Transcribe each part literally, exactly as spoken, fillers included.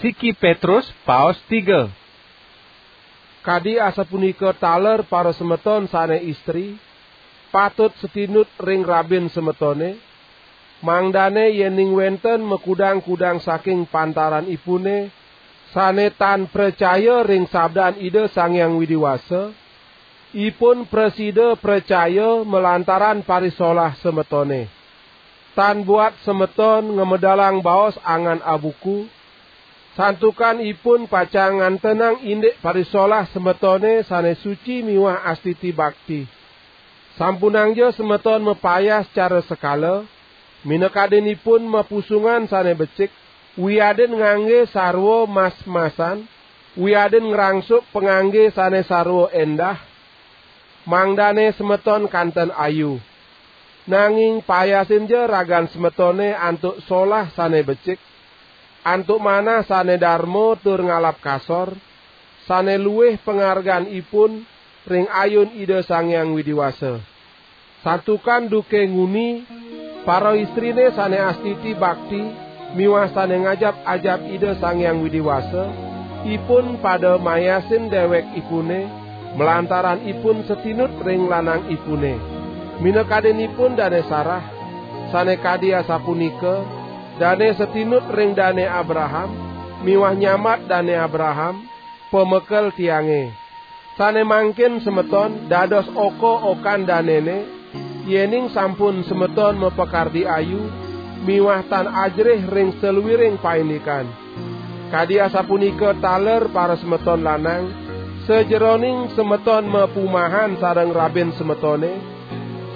Siki Petrus, paos tiga. Kadi asapunika taler para semeton sane istri, patut setinut ring rabin semetone, mangdane yening wenten makudang-kudang saking pantaran ipune, sane tan pracaya ring sabdan Ida Sang Hyang Widi Wasa, ipun prasida pracaya malantaran parisolah semetone. Tan buat semeton ngamedalang baos angan abuku, santukan ipun pacang ngantenang indik parisolah semetone sane suci miwah astiti bakti. Sampunangja semeton mapayas cara sekala, minakadinipun mapusungan sane becik, wiadin ngangge sarwa mas-masan, wiadin ngrangsuk pangangge sane sarwa endah, mangdane semeton kanten ayu. Nanging payasinja ragan semetone antuk solah sane becik, antuk manah sane darma tur ngalap kasor, sane luih pangarganipun ring ayun Ida Sang Hyang Widi Wasa. Santukan duke nguni, para istrine sane astiti bakti miwah sane ngajap-ajap Ida Sang Hyang Widi Wasa, ipun pada mayasin dewekipune malantaran ipun satinut ring lanangipune. Minakadinipun Dane Sarah, sane kadi asapunika, dane satinut ring Dane Abraham, miwah nyambat Dane Abraham, pamekel tiange. Sane mangkin semeton dados oka-okan danene, yening sampun semeton mapakardi ayu, miwah tan ajerih ring saluiring paindikan. Kadi asapunika taler para semeton lanang, sajeroning semeton mapumahan sareng rabin semetone,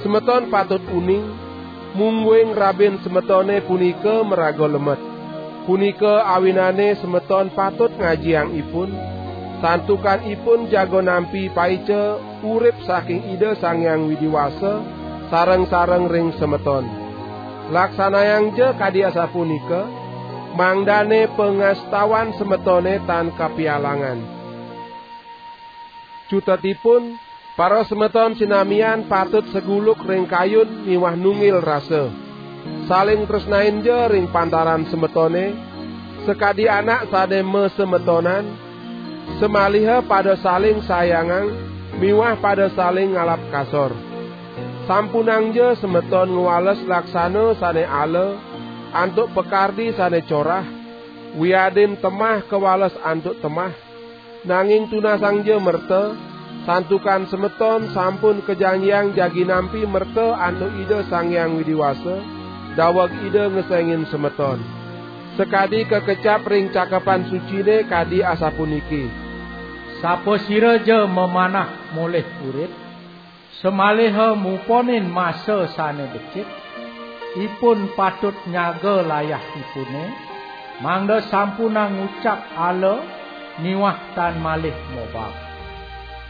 semeton patut uning, mungguing rabin semetone punika maraga lemet. Punika awinane semeton patut ngajiang ipun, santukan ipun jaga nampi paica urip saking Ida Sang Hyang Widi Wasa sareng-sareng ring semeton. Laksanayangja kadi asapunika, mangdane pangastawan semetone tan kapialangan. Cutetipun, para semeton sinamian patut seguluk ring kayun miwah nunggil rasa. Saling tresnainja ring pantaran semetone, sakadi anak sane masemetonan, samaliha pada saling sayangang miwah pada saling ngalap kasor. Sampunangja semeton ngwales laksana sane ala antuk pakardi sane corah, wiadin temah kawales antuk temah, nanging tunasangja merta, santukan semeton sampun kajanjiang jagi nampi merta antuk Ida Sang Hyang Widi Wasa, daweg Ida ngesengin semeton. Sakadi kakecap ring Cakepan Sucine kadi asapuniki: "Sapasiraja mamanah molih urip, samaliha muponin masa sane becik, ipun patut nyaga layahipune, mangda sampunang ngucap ala miwah tan malih mobab.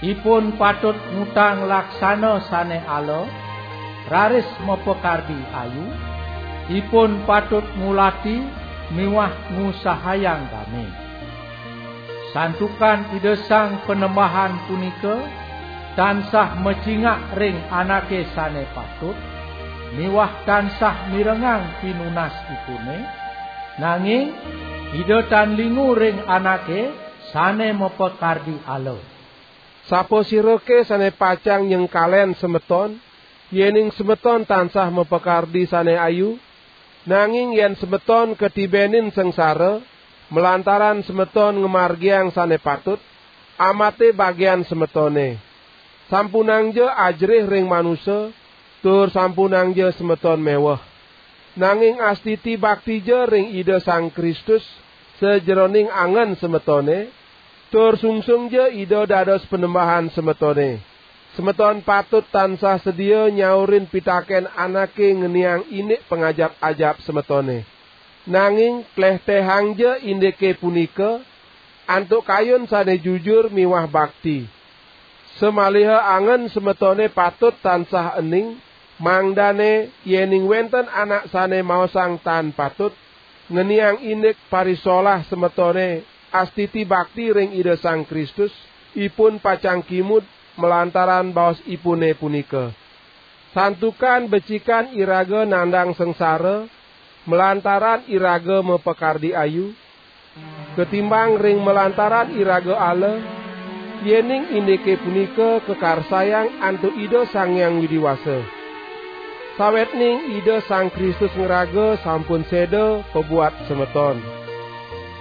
Ipun patut ngutang laksana sane ala, raris mapakardi ayu, ipun patut ngulati miwah ngusahayang dame. Santukan Ida Sang Panembahan punika tansah macingak ring anake sane patut, miwah tansah mirengang pinunasipune, nanging Ida tan lingu ring anake sane mapakardi ala." Sapasirake sane pacang nyengkalen semeton, yening semeton tansah mapakardi sane ayu? Nanging yen semeton katibenin sangsara, malantaran semeton ngamargiang sane patut, amate bagian semetone. Sampunangja ajerih ring manusa, tur sampunangja semeton meweh. Nanging astiti baktija ring Ida Sang Kristus sajeroning angen semetone, tur sungsungja Ida dados Panembahan semetone. Semeton patut tansah sedia nyaurin pitaken anake ngeniang indik pangajap-ajap semetone. Nanging tlehtehangja indike punika antuk kayun sane jujur miwah bakti. Samaliha angen semetone patut tansah ening, mangdane yening wenten anak sane maosang tan patut, ngeniang indik parisolah semetone astiti bakti ring Ida Sang Kristus, ipun pacang kimud malantaran baosipune punika. Santukan becikan iraga nandang sangsara, malantaran iraga mapakardi ayu, Ketimbang ring malantaran iraga ala, yening indike punika kakarsayang antuk Ida Sang Hyang Widi Wasa. Sawetning Ida Sang Kristus ngraga sampun seda pabuat semeton.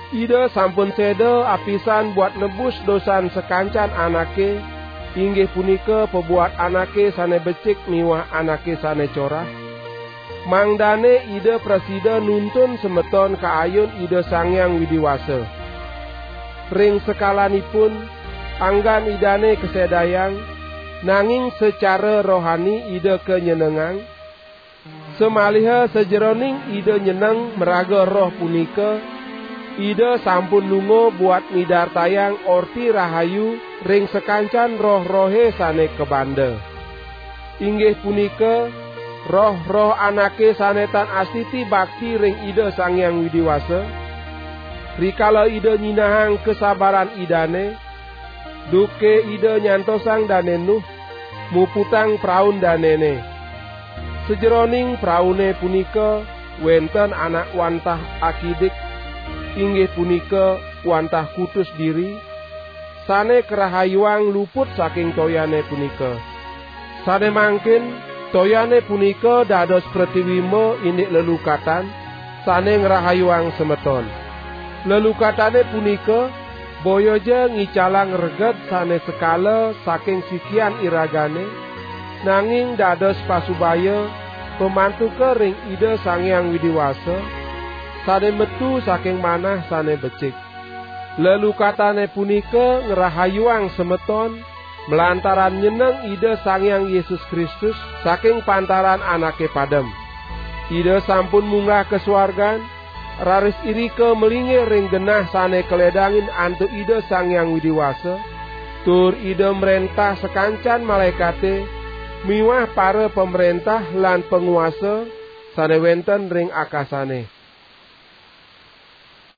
Ida sampun seda apisan buat nebus dosan sakancan anake, inggih punika pabuat anake sane becik miwah anake sane corah. Mangdane Ida prasida nuntun semeton ka ayun Ida Sang Hyang Widi Wasa. Ring sekalanipun, anggan Idane kasedayang, nanging secara rohani Ida kenyenengang. Samaliha sajeroning Ida nyeneng maraga Roh punika, Ida sampun lunga buat midartayang Orti Rahayu ring sakancan roh-rohe sane kabanda. Inggih punika, roh-roh anake sane tan astiti bakti ring Ida Sang Hyang Widi Wasa. Rikala Ida nyinahang kasabaran Idane, duke Ida nyantosang Dane Nuh, muputang praun danene. Sajeroning praune punika wenten anak wantah akidik, inggih punika wantah kutus diri, sane karahayuang luput saking toyane punika. Sane mangkin, toyane punika dados pratiwimba indik lelukatan, sane ngrahayuang semeton. Lelukatane punika boya ja ngicalang reged sane sekala saking sikian iragane, nanging dados pasubaya pamantuka ring Ida Sang Hyang Widi Wasa, sane metu saking manah sane becik. Lelukatane punika ngrahayuang semeton, malantaran nyeneng Ida Sang Hyang Yesus Kristus saking pantaran anake padem. Ida sampun munggah ka suargan, raris irika malinggih ring genah sane kaledangin antuk Ida Sang Hyang Widi Wasa, tur Ida mrentah sakancan malaekate miwah para pamrentah lan panguasa sane wenten ring akasane.